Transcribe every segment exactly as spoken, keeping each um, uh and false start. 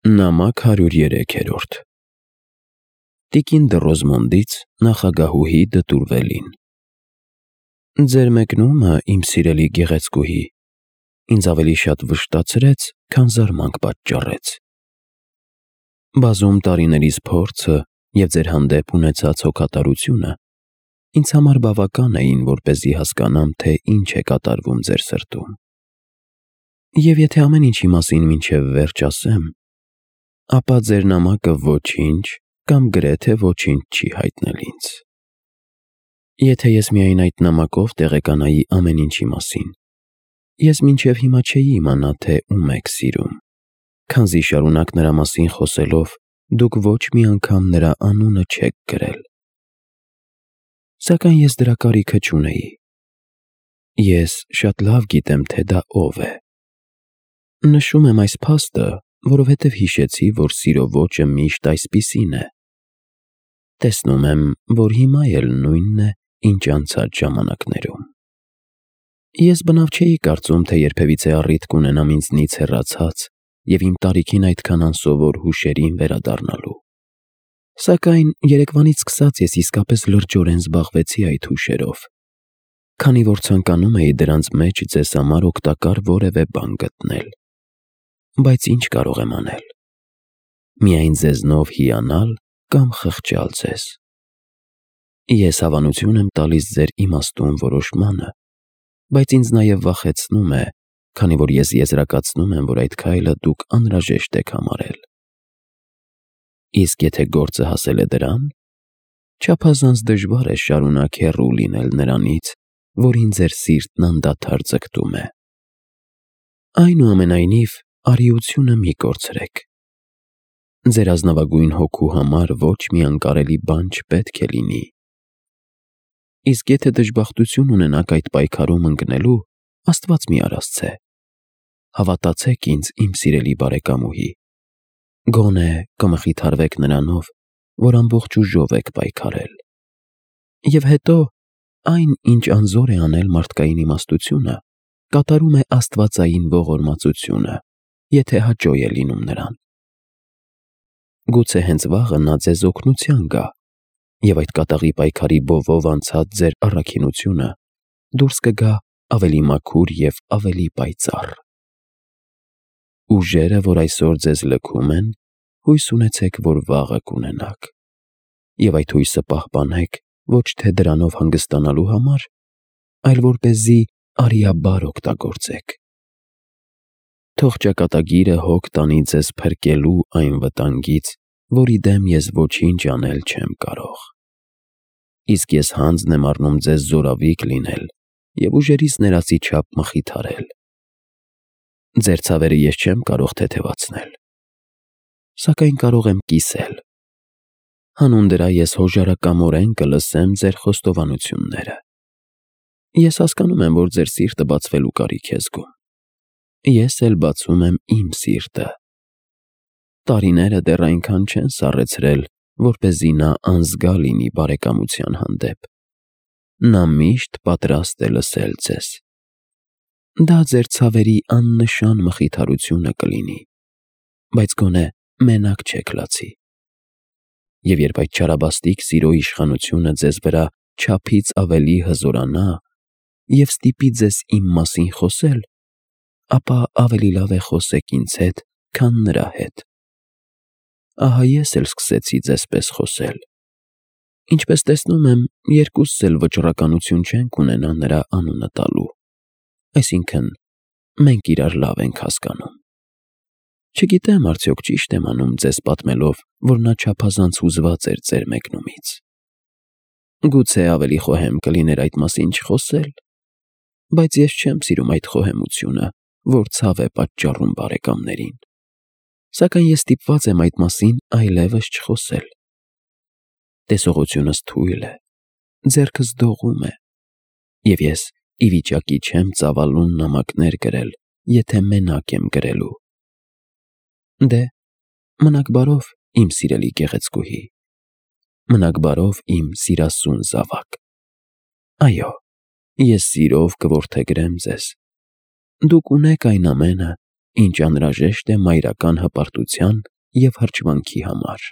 Նամակ հարյուր երեքերորդ Տիկին Դռոզմոնդից նախագահուհի Դտուրվելին։ Ձեր մեկնումը, իմ սիրելի գեղեցկուհի, ինձ ավելի շատ վշտացրեց, քան զարմանք պատճառեց։ Բազում տարիներիս փորձը և ձեր հանդեպ ունեցած հոգատարությունը ինձ համար բավական էին, որպեսզի հասկանամ, թե ինչ է կատարվում ձեր սրտում։ Եվ եթե ամեն ինչի մասին մինչև վերջ ասեմ, ապա ձեր նամակը ոչինչ կամ գրեթե ոչինչ չի հայտնել ինձ։ Եթե ես միայն այդ նամակով տեղեկանայի ամեն ինչի մասին, ես մինչև հիմա չէի իմանա, թե ում եք սիրում, քանզի շարունակ նրա մասին խոսելով դուք ոչ մի անգամ նրա անունը չեք գրել։ Սակայն ես դրա կարիքը չունեի։ Ես շատ լավ գիտեմ, թե դա ով է։ Նշում եմ այս փաստը, որովհետև հիշեցի, որ սիրո ոճը միշտ այսպիսին է։ Տեսնում եմ, որ հիմա էլ նույնն է, ինչ անցած ժամանակներում։ Ես բնավ չէի կարծում, թե երբևիցե առիթ կունենամ ինձնից հեռացած և իմ տարիքին այդքան անսովոր հուշերին վերադառնալու։ Սակայն երեկվանից սկսած ես իսկապես լրջորեն զբաղվեցի այդ հուշերով, քանի որ ցանկանում էի դրանց մեջ ձեզ համար օգտակար որևէ բան գտնել։ Բայց ինչ կարող եմ անել։ Միայն ձեզնով հիանալ կամ խղճալ ձեզ։ Ես հավանություն եմ տալիս ձեր իմաստուն որոշմանը, բայց ինձ նաև վախեցնում է, քանի որ ես եզրակացնում եմ, որ այդ քայլը դուք անհրաժեշտ եք համարել։ Իսկ եթե գործը հասել է դրան, չափազանց դժվար է շարունակ հեռու լինել նրանից, որին ձեր սիրտն անդադար ձգտում է։ Այնուամենայնիվ, արիությունը մի կորցրեք։ Ձեր ազնվագույն հոգու համար ոչ մի անկարելի բան չպետք է լինի։ Իսկ եթե դժբախտություն ունենաք այդ պայքարում ընկնելու, Աստված մի արասցե։ Հավատացեք ինձ, իմ սիրելի բարեկամուհի։ Գոնե կմխիթարվեք նրանով, որ ամբողջ ուժով եք պայքարել։ Եվ հետո, այն, ինչ անզոր է անել մարդկային իմաստությունը, կատարում է աստվածային ողորմածությունը, եթե հաճոյ է լինում նրան։ Գուցե հենց վաղը նա ձեզ օգնության գա, և այդ կատաղի պայքարի բովով անցած ձեր առաքինությունը դուրս կգա ավելի մաքուր և ավելի պայծառ։ Ուժերը, որ այսօր ձեզ լքում են, հույս ունեցեք, որ վաղը կունենաք, և այդ հույսը պահպանեք ոչ թե դրանով հանգստանալու համար, այլ որպեսզի արիաբար օգտագործեք։ Թող ճակատագիրը հոգ տանի ձեզ փրկելու այն վտանգից, որի դեմ ես ոչինչ անել չեմ կարող։ Իսկ ես հանձն եմ առնում ձեզ զորավիկ լինել և ուժերիս ներածի չափ մխիթարել։ Ձեր ցավերը ես չեմ կարող թեթևացնել, սակայն կարող եմ կիսել։ Հանուն դրա ես հոժարակամորեն կլսեմ ձեր խոստովանությունները։ Ես հասկանում եմ, որ ձեր սիրտը բացվելու կարիք է զգում։ Ես էլ բացում եմ իմ սիրտը։ Տարիները դեռ այնքան չեն սառեցրել, որպեսզի նա անզգա լինի բարեկամության հանդեպ։ Նա միշտ պատրաստ է լսել ձեզ։ Դա ձեր ցավերի աննշան մխիթարությունը կլինի, բայց գոնե մենակ չեք լացի։ Եվ երբ այդ չարաբաստիկ սիրո իշխանությունը ձեզ վրա չափից ավելի հզորանա և ստիպի ձեզ իմ մասին խոսել, ապա ավելի լավ է խոսեք ինձ հետ, քան նրա հետ։ Ահա ես էլ սկսեցի ձեզպես խոսել։ Ինչպես տեսնում եմ, երկուսս էլ վճռականություն չենք ունենա նրա անունը տալու, այսինքն՝ մենք իրար լավ ենք հասկանում։ Չգիտեմ արդյոք ճիշտ եմ անում ձեզ պատմելով, որ նա չափազանց հուզված էր ձեր մեկնումից։ Գուցե ավելի խոհեմ կլիներ այդ մասին չխոսել, բայց ես չեմ սիրում այդ խոհեմությունը, որ ցավ է պատճառում բարեկամներին։ Սակայն ես ստիպված եմ այդ մասին այլևս չխոսել։ Տեսողությունս թույլ է, ձեռքս դողում է, և ես ի վիճակի չեմ ծավալուն նամակներ գրել, եթե մենակ եմ գրելու։ Դե, մնաք բարով, իմ սիրելի գեղեցկուհի։ Մնաք բարով, իմ սիրասուն զավակ։ Այո, ես սիրով կորդեգրեմ ձեզ։ Դուք ունեք այն ամենը, ինչ անհրաժեշտ է մայրական հպարտության և հրճվանքի համար։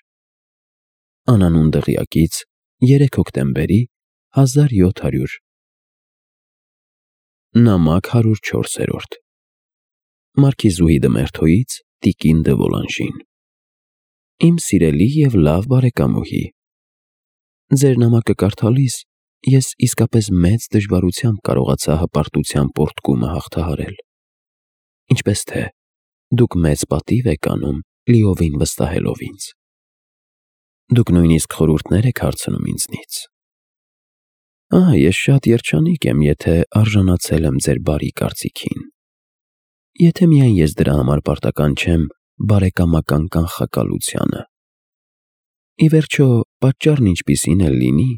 Անանուն դղյակից երեք հոկտեմբերի հազար յոթ հարյուր նամակ հարյուր չորս Մարքիզուհի Դմերթոյից տիկին դը Վոլանժին։ Իմ սիրելի և լավ բարեկամուհի, ձեր նամակը կարդալիս ես իսկապես մեծ դժվարությամբ կարողացա հպարտության պոռթկումը հաղթահարել։ Ինչպես թե, դուք մեծ պատիվ եք անում լիովին վստահելով ինձ։ Դուք նույնիսկ խորհուրդներ եք հարցնում ինձնից։ Ահա, ես շատ երջանիկ եմ, եթե արժանացել եմ ձեր բարի կարծիքին։ Եթե միայն ես դրա համար պարտական չեմ բարեկամական կանխակալությանը։ Ի վերջո, պատճառն ինչպիսին էլ լինի,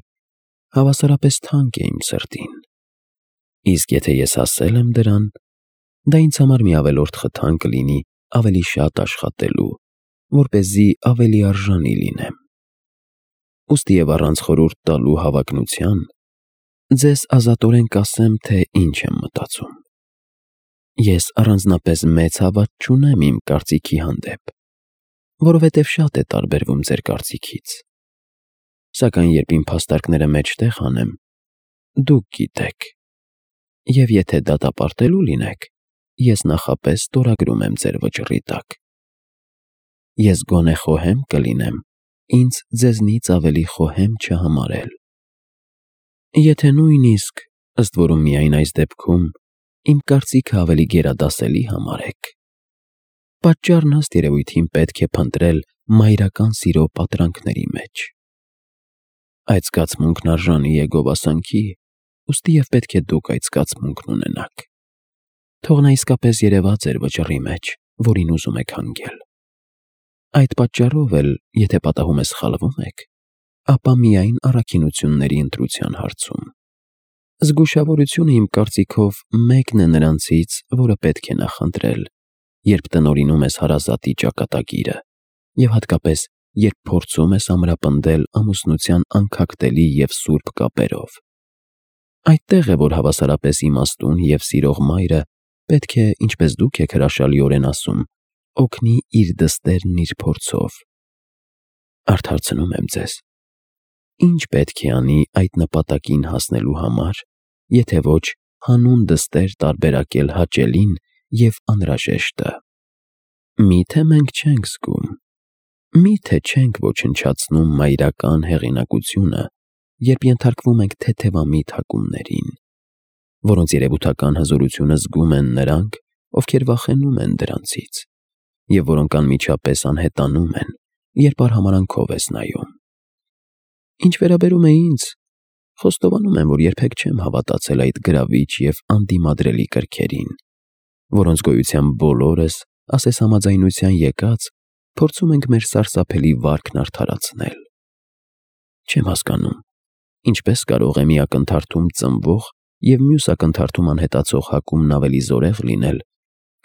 հավասարապես թանկ է իմ սրտին։ Իսկ եթե ես հասել եմ դրան, դա ինձ համար մի ավելորդ խթան կլինի ավելի շատ աշխատելու, որպեսզի ավելի արժանի լինեմ։ Ուստի և առանց խորհուրդ տալու հավակնության, ձեզ ազատորեն կասեմ, թե ինչ եմ մտածում։ Ես առանձնապես մեծ հավատ չունեմ իմ կարծիքի հանդեպ, որովհետև շատ է տարբերվում ձեր կարծիքից։ Սակայն երբ իմ փաստարկները մեջտեղ հանեմ, դուք գիտեք, և եթե դատապարտելու լինեք, ես նախապես ստորագրում եմ ձեր վճռի տակ։ Ես գոնե խոհեմ կլինեմ ինձ ձեզնից ավելի խոհեմ չհամարել։ Եթե նույնիսկ, ըստ որում միայն այս դեպքում, իմ կարծիքը ավելի գերադասելի համարեք, պատճառն ըստ երևույթին պետք է փնտրել մայրական սիրո պատրանքների մեջ։ Այդ զգացմունքն արժանի է գովասանքի, ուստի և պետք է դուք այդ զգացմունքն ունենաք։ Թող նա իսկապես երևա ձեր վճռի մեջ, որին ուզում եք հանգել։ Այդ պատճառով էլ, եթե պատահում է սխալվում եք, ապա միայն առաքինությունների ընտրության հարցում։ Զգուշավորությունը իմ կարծիքով մեկն է նրանցից, որը պետք է նախընտրել, երբ տնօրինում ես հարազատի ճակատագիրը, և հատկապես, երբ փորձում ես ամրապնդել ամուսնության անքակտելի և սուրբ կապերով։ Այդտեղ է, որ հավասարապես իմաստուն և սիրող մայրը պետք է, ինչպես դուք եք հրաշալիորեն ասում, օգնի իր դստերն իր փորձով։ Արդարացնում եմ ձեզ. ի՞նչ պետք է անի այդ նպատակին հասնելու համար, եթե ոչ հանուն դստեր տարբերակել հաճելին և անհրաժեշտը։ Մի՞թե մենք չենք զգում, մի՞թե չենք ոչնչացնում մայրական հեղինակությունը, երբ ենթարկվում ենք թեթևամիտ հակումներին, որոնց երևութական հզորությունը զգում են նրանք, ովքեր վախենում են դրանցից, և որոնք անմիջապես անհետանում են, երբ արհամարհանքով ես նայում։ Ինչ վերաբերում է ինձ, խոստովանում եմ, որ երբեք չեմ հավատացել այդ գրավիչ և անդիմադրելի կրքերին, որոնց գոյության բոլորս, ասես համաձայնության եկած, փորձում ենք մեր սարսափելի վարքն արդարացնել։ Չեմ հասկանում, ինչպես կարող է մի ակնթարթում ծնվող և մյուս ակնթարթում անհետացող հակումն ավելի զորեղ լինել,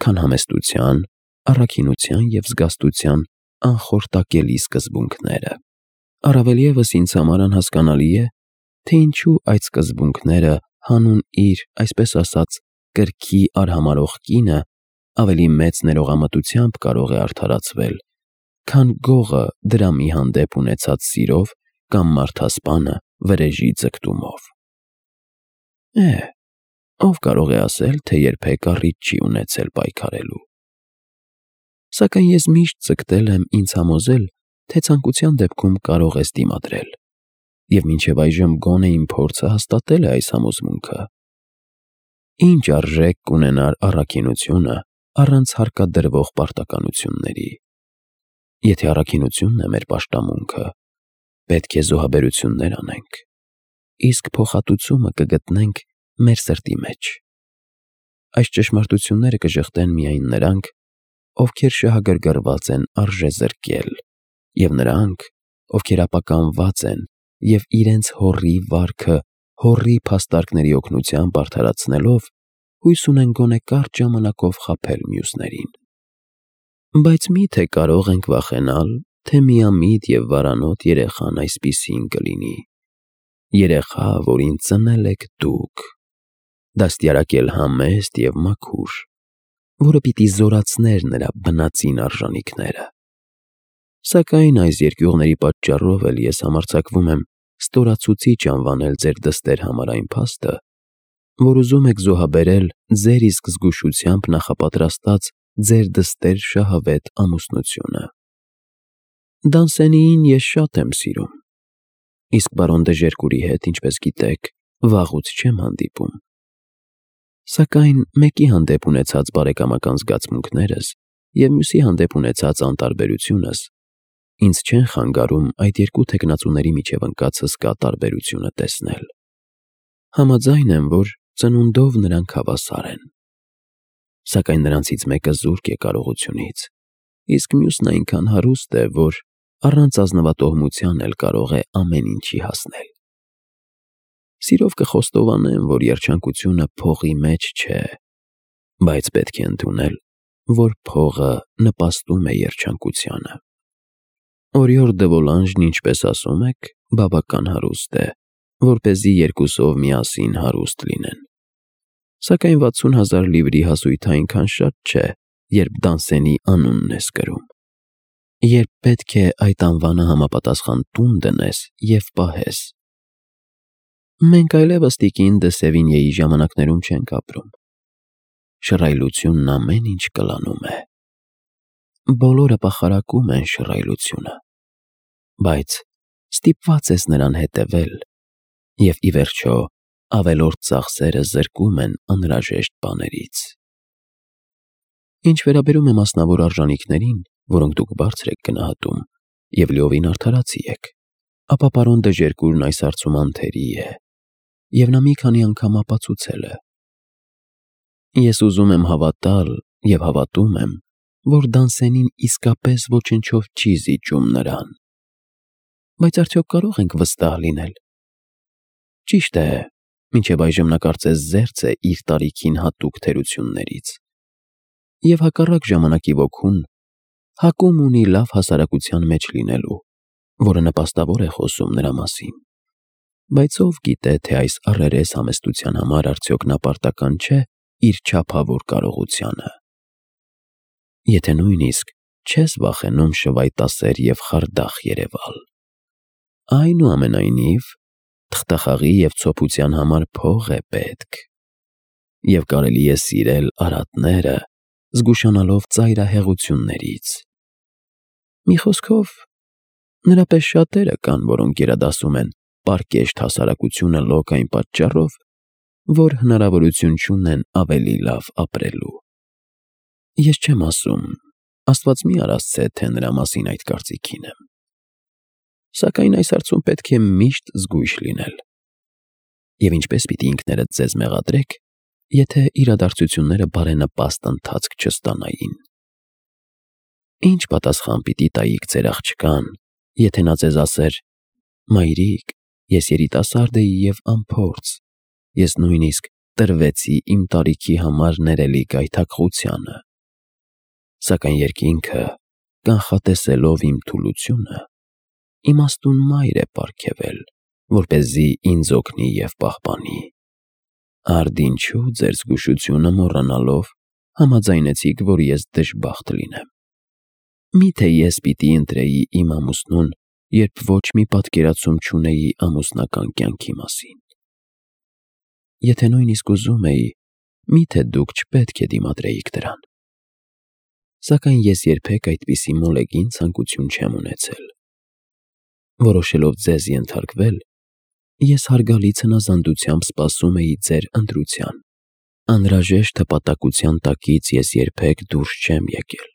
քան համեստության, առաքինության և զգաստության անխորտակելի սկզբունքները։ Առավել ևս ինձ համար անհասկանալի է, թե ինչու այդ սկզբունքները հանուն իր, այսպես ասած, կրքի արհամարհող կինը ավելի մեծ ներողամտությամբ կարող է արդարացվել, քան գողը դրամի հանդեպ ունեցած սիրով կամ մարդասպանը վրեժի ձգտումով։ Է՛հ, ով կարող է ասել, թե երբեք առիթ չի ունեցել պայքարելու։ Սակայն ես միշտ ձգտել եմ ինձ համոզել, թե ցանկության դեպքում կարող ես դիմադրել, և մինչև այժմ գոնե իմ փորձը հաստատել է այս համոզմունքը։ Ինչ արժեք կունենար առաքինությունը առանց հարկադրվող պարտականությունների։ Եթե առաքինությունն է մեր պաշտամունքը, պետք է զոհաբերություններ անենք, իսկ փոխհատուցումը կգտնենք մեր սրտի մեջ։ Այս ճշմարտությունները կժխտեն միայն նրանք, ովքեր շահագրգռված են արժեզրկել, և նրանք, ովքեր ապականված են և իրենց հոռի վարքը հոռի փաստարկների օգնությամբ արդարացնելով, հույս ունեն գոնե կարճ ժամանակով խաբել մյուսներին։ Բայց մի՞թե կարող ենք վախենալ, թե միամիտ և վարանոտ երեխան այսպիսին կլինի։ Երեխա, որին ծնել եք դուք, դաստիարակել համեստ և մաքուր, որը պիտի զորացներ նրա բնածին արժանիքները։ Սակայն այս երկյուղների պատճառով էլ ես համարձակվում եմ ստորացուցիչ անվանել ձեր դստեր համար այն փաստը, որ ուզում եք զոհաբերել ձեր իսկ զգուշությամբ նախապատրաստած ձեր դստեր շահավետ ամուսնությունը։ Դանսենիին ես շատ եմ սիրում, իսկ բարոն դե Ժերկուրի հետ, ինչպես գիտեք, վաղուց չեմ հանդիպում։ Սակայն մեկի հանդեպ ունեցած բարեկամական զգացմունքներս և մյուսի հանդեպ ունեցած անտարբերությունս ինձ չեն խանգարում այդ երկու թեկնածուների միջև ընկած հսկա տարբերությունը տեսնել։ Համաձայն եմ, որ ծնունդով նրանք հավասար են, սակայն նրանցից մեկը զուրկ է կարողությունից, իսկ մյուսն այնքան հարուստ է, որ առանց ազնվատոհմության էլ կարող է ամեն ինչի հասնել։ Սիրով կխոստովանեմ, որ երջանկությունը փողի մեջ չէ, բայց պետք է ընդունել, որ փողը նպաստում է երջանկությանը։ Օրիոր դե Վոլանժն, ինչպես ասում եք, բավական հարուստ է, որպեսզի երկուսով միասին հարուստ լինեն։ Սակայն վաթսուն հազար լիվրի հասույթը այնքան շատ չէ, երբ Դանսենի անունն ես կրում, երբ պետք է այդ անվանը համապատասխան տուն դնես և պահես։ Մենք այլևս տիկին դե Սևինյեի ժամանակներում չենք ապրում։ Շռայլությունն ամեն ինչ կլանում է։ Բոլորը պախարակում են շռայլությունը, բայց ստիպված ես նրան հետևել, և ի վերջո ավելորդ ծախսերը զրկում են անհրաժեշտ բաներից։ Ինչ վերաբերում է մասնավոր արժանիքներին, որոնք դուք բարձր եք գնահատում և լիովին արդարացի եք, ապա պարոն դե Ժերկուրն այս հարցում անթերի է, և նա մի քանի անգամ ապացուցել է։ Ես ուզում եմ հավատալ և հավատում եմ, որ Դանսենին իսկապես ոչնչով չի զիջում նրան։ Բայց արդյոք կարող ենք վստահ լինել։ Ճիշտ է, մինչև այժմ նա կարծես զերծ է իր տարիքին հատուկ թերություններից և հակառակ ժամանակի ոգուն հակում ունի լավ հասարակության մեջ լինելու, որը նպաստավոր է խոսում նրա մասին։ Բայց ով գիտե, թե այս առերես համեստության համար արդյոք նա պարտական չէ իր չափավոր կարողությանը։ Եթե նույնիսկ չես վախենում շվայտասեր և խարդախ երևալ։ Այնուամենայնիվ, թղթախաղի և ցոփության համար փող է պետք, և կարելի է սիրել արատները, զգուշանալով ծայրահեղություններից։ Մի խոսքով, նրա պես շատերը կան, որոնք գերադասում են պարկեշտ հասարակությունը լոկ այն պատճառով, որ հնարավորություն չունեն ավելի լավ ապրելու։ Ես չեմ ասում, Աստված մի արասցե, թե նրա մասին այդ կարծիքին եմ։ Սակայն այս հարցում պետք է միշտ զգույշ լինել։ Եվ ինչպես պիտի ինքներդ ձեզ մեղադրեք, եթե իրադարձությունները բարենպաստ ընթացք չստանային։ Ինչ պատասխան պիտի տայիք ձեր աղջկան, եթե նա ձեզ ասեր. «Մայրիկ, ես երիտասարդ էի և անփորձ, ես նույնիսկ տրվեցի իմ տարիքի համար ներելի գայթակղությանը, սակայն երկինքը, կանխատեսելով իմ թուլությունը, իմաստուն մայր է պարգևել, որպեսզի ինձ օգնի և պահպանի։ Արդ ինչու ձեր զգուշությունը մոռանալով համաձայնեցիք, որ ես դժբախտ լինեմ։ Մի՞թե ես պիտի ընտրեի իմ ամուսնուն, երբ ոչ մի պատկերացում չունեի ամուսնական կյանքի մասին։ Եթե նույնիսկ ուզում էի, մի՞թե դուք չպետք է դիմադրեիք դրան։ Սակայն ես երբեք այդպիսի մոլեգին ցանկություն չեմ ունեցել։ Որոշելով ձեզ ենթարկվել, ես հարգալից հնազանդությամբ սպասում էի ձեր ընտրության։ Անհրաժեշտ հպատակության տակից ես երբեք դուրս չեմ եկել։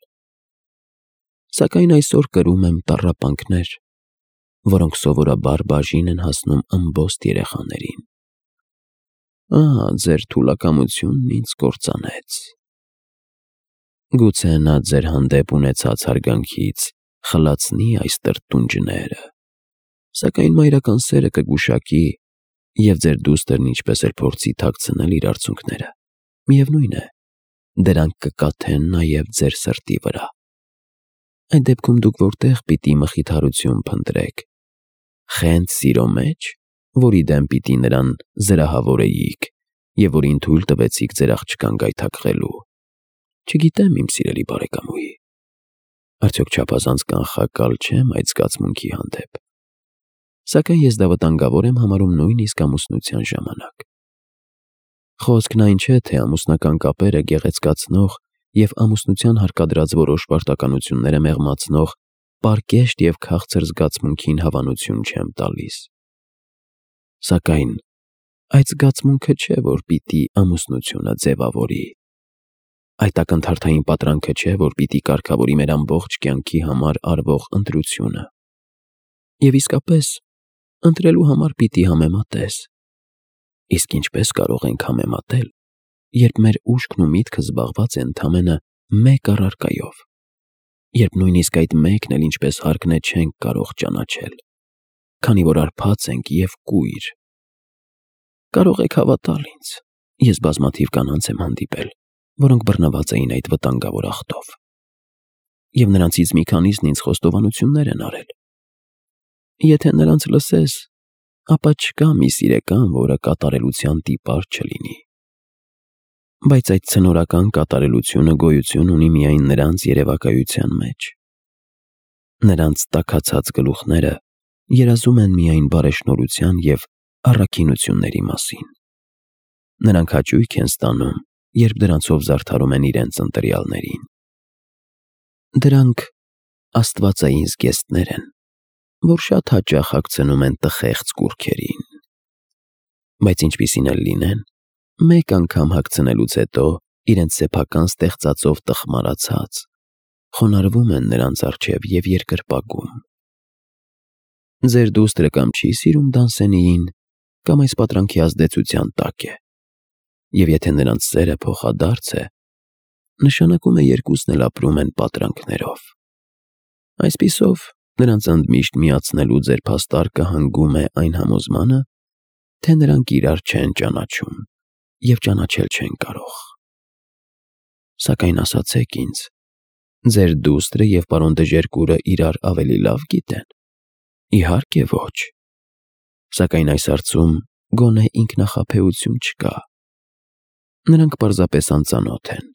Սակայն այսօր կրում եմ տառապանքներ, որոնք սովորաբար բաժին են հասնում ըմբոստ երեխաներին։ Ահա ձեր թուլակամությունն ինձ կործանեց։ Գուցե նա ձեր հանդեպ ունեցած հարգանքից խլացնի այս տրտունջները, սակայն մայրական սերը կգուշակի, և ձեր դուստրն ինչպես էլ փորձի թաքցնել իր արցունքները, միևնույն է, դրանք կկաթեն նաև ձեր սրտի վրա։ Այդ դեպքում դուք որտե՞ղ պիտի մխիթարություն փնտրեք։ Խենթ սիրո մեջ, որի դեմ պիտի նրան զրահավորեիք և որին թույլ տվեցիք ձեր աղջկան գայթակղելու։ Չգիտեմ, իմ սիրելի բարեկամուհի։ Արդյոք չափազանց կանխակալ չեմ այդ զգացմունքի հանդեպ։ Սակայն ես դա վտանգավոր եմ համարում նույնիսկ ամուսնության ժամանակ։ Խոսքն այն չէ, թե ամուսնական կապերը գեղեցկացնող և ամուսնության հարկադրած որոշ պարտականությունները մեղմացնող պարկեշտ և քաղցր զգացմունքին հավանություն չեմ տալիս։ Սակայն այդ զգացմունքը չէ, որ պիտի ամուսնությունը ձևավորի։ Այդ ակնթարթային պատրանքը չէ, որ պիտի կարգավորի մեր ամբողջ կյանքի համար արվող ընտրությունը։ Եվ իսկապես, ընտրելու համար պիտի համեմատես։ Իսկ ինչպե՞ս կարող ենք համեմատել, երբ մեր ուշքն ու միտքը զբաղված է ընդամենը մեկ առարկայով, երբ նույնիսկ այդ մեկն էլ ինչպես հարկն է չենք կարող ճանաչել, քանի որ հարբած ենք և կույր։ Կարող եք հավատալ ինձ, ես բազմաթիվ կանանց եմ հանդիպել, որոնք բռնված էին այդ վտանգավոր աղտով, և նրանցից մի քանիսն ինձ խոստովանություններ են արել։ Եթե նրանց լսես, ապա չկա մի սիրեկան, որը կատարելության տիպար չլինի։ Բայց այդ ցնորական կատարելությունը գոյություն ունի միայն նրանց երևակայության մեջ։ Նրանց տաքացած գլուխները երազում են միայն բարեշնորհության և առաքինությունների մասին։ Նրանք հաճույք են ստանում, երբ դրանցով զարդարում են իրենց ընտրյալներին։ Դրանք աստվածային զգեստներ են, որ շատ հաճախ հագցնում են տխեղծ կուռքերին։ Բայց ինչպիսին էլ լինեն, մեկ անգամ հագցնելուց հետո իրենց սեփական ստեղծածով տխմարացած, խոնարհվում են նրանց առջև և երկրպագում։ Ձեր դուստրը կամ չի սիրում դանսենիին, կամ այս պատրանքի ազդեցության տակ է։ Եվ եթե նրանց սերը փոխադարձ է, նշանակում է երկուսն էլ ապրում են պատրանքներով։ Այսպիսով, նրանց ընդմիշտ միացնելու ձեր փաստարկը հանգում է այն համոզմանը, թե նրանք իրար չեն ճանաչում և ճանաչել չեն կարող։ Սակայն ասացեք ինձ, ձեր դուստրը և պարոն Դժերկուրը իրար ավելի լավ գիտե՞ն։ Իհարկե ոչ։ Սակայն այս հարցում գոնե ինքնախաբեություն չկա։ Նրանք պարզապես անծանոթ են։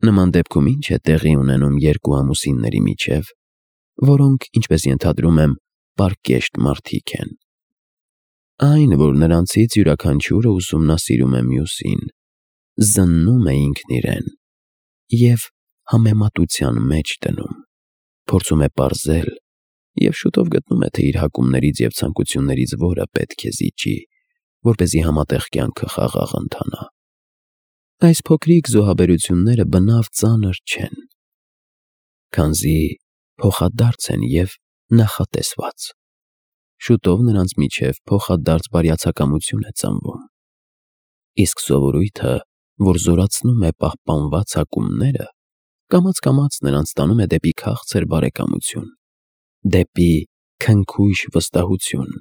Նման դեպքում ի՞նչ է տեղի ունենում երկու ամուսինների միջև, որոնք, ինչպես ենթադրում եմ, պարկեշտ մարդիկ են։ Այն, որ նրանցից յուրաքանչյուրը ուսումնասիրում է մյուսին, զննում է ինքն իրեն և համեմատության մեջ դնում, փորձում է պարզել և շուտով գտնում է, թե իր հակումներից և ցանկություններից որը պետք է զիջի, որպեսզի համատեղ կյանքը խաղաղ ընթանա։ Այս փոքրիկ զոհաբերությունները բնավ ծանր չեն, քանզի փոխադարձ են և նախատեսված։ Շուտով նրանց միջև փոխադարձ բարյացակամություն է ծնվում։ Իսկ սովորույթը, որ զորացնում է պահպանված հակումները, կամաց-կամաց նրանց տանում է դեպի քաղցր բարեկամություն, դեպի քնքույժ վստահություն,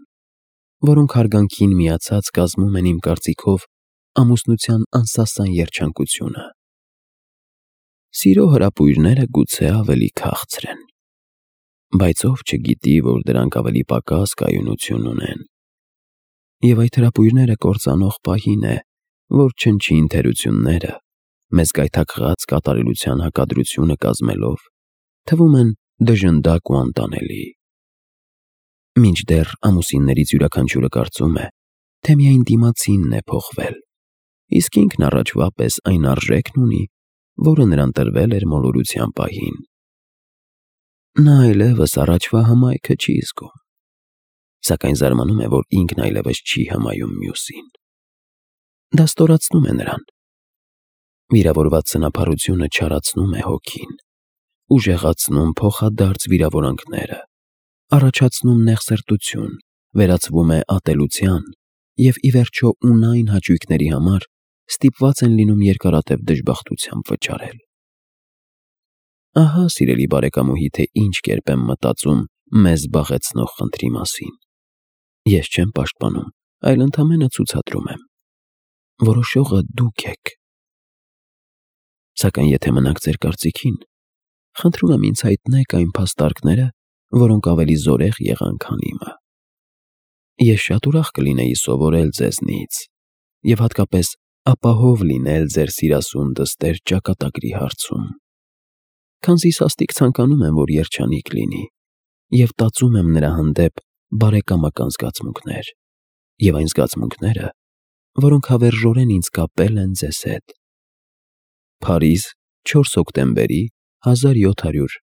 որոնք հարգանքին միացած կազմում են իմ կարծիքով ամուսնության անսասան երջանկությունը։ Սիրո հրապույրները գուցե ավելի քաղցր են, բայց ով չգիտի, որ դրանք ավելի պակաս կայունություն ունեն։ Եվ այդ հրապույրները կործանող պահին է, որ չնչին թերությունները, մեզ գայթակղած կատարելության հակադրությունը կազմելով, թվում են դժնդակ ու անտանելի։ Մինչդեռ ամուսիններից յուրաքանչյուրը կարծում է, թե միայն դիմացինն է փոխվել, իսկ ինքն առաջվա պես այն արժեքն ունի, որը նրան տրվել էր մոլորության պահին։ Նա այլևս առաջվա հմայքը չի զգում, սակայն զարմանում է, որ ինքն այլևս չի հմայում մյուսին։ Դա ստորացնում է նրան։ Վիրավորված սնափառությունը չարացնում է հոգին, ուժեղացնում փոխադարձ վիրավորանքները, առաջացնում նեղսերտություն, վերածվում է ատելության և ի վերջո ունայն հաճույքների համար ստիպված են լինում երկարատև դժբախտությամբ վճարել։ Ահա, սիրելի բարեկամուհի, թե ինչ կերպ եմ մտածում մեզ զբաղեցնող խնդրի մասին։ Ես չեմ պաշտպանում, այլ ընդամենը ցուցադրում եմ։ Որոշողը դուք եք։ Սակայն եթե մնաք ձեր կարծիքին, խնդրում եմ ինձ հայտնեք այն փաստարկները, որոնք ավելի զորեղ եղան, քան իմը։ Ես շատ ուրախ կլինեի սովորել ձեզնից և հատկապես ապահով լինել ձեր սիրասուն դստեր ճակատագրի հարցում։ քանզի սաստիկ ցանկանում եմ, որ երջանիկ լինի, և տածում եմ նրա հանդեպ բարեկամական զգացմունքներ, և այն զգացմունքները, որոնք հավերժորեն ինձ կապել են ձեզ հետ։ Փարիզ, չորս հոկտեմբերի հազար յոթ հարյուր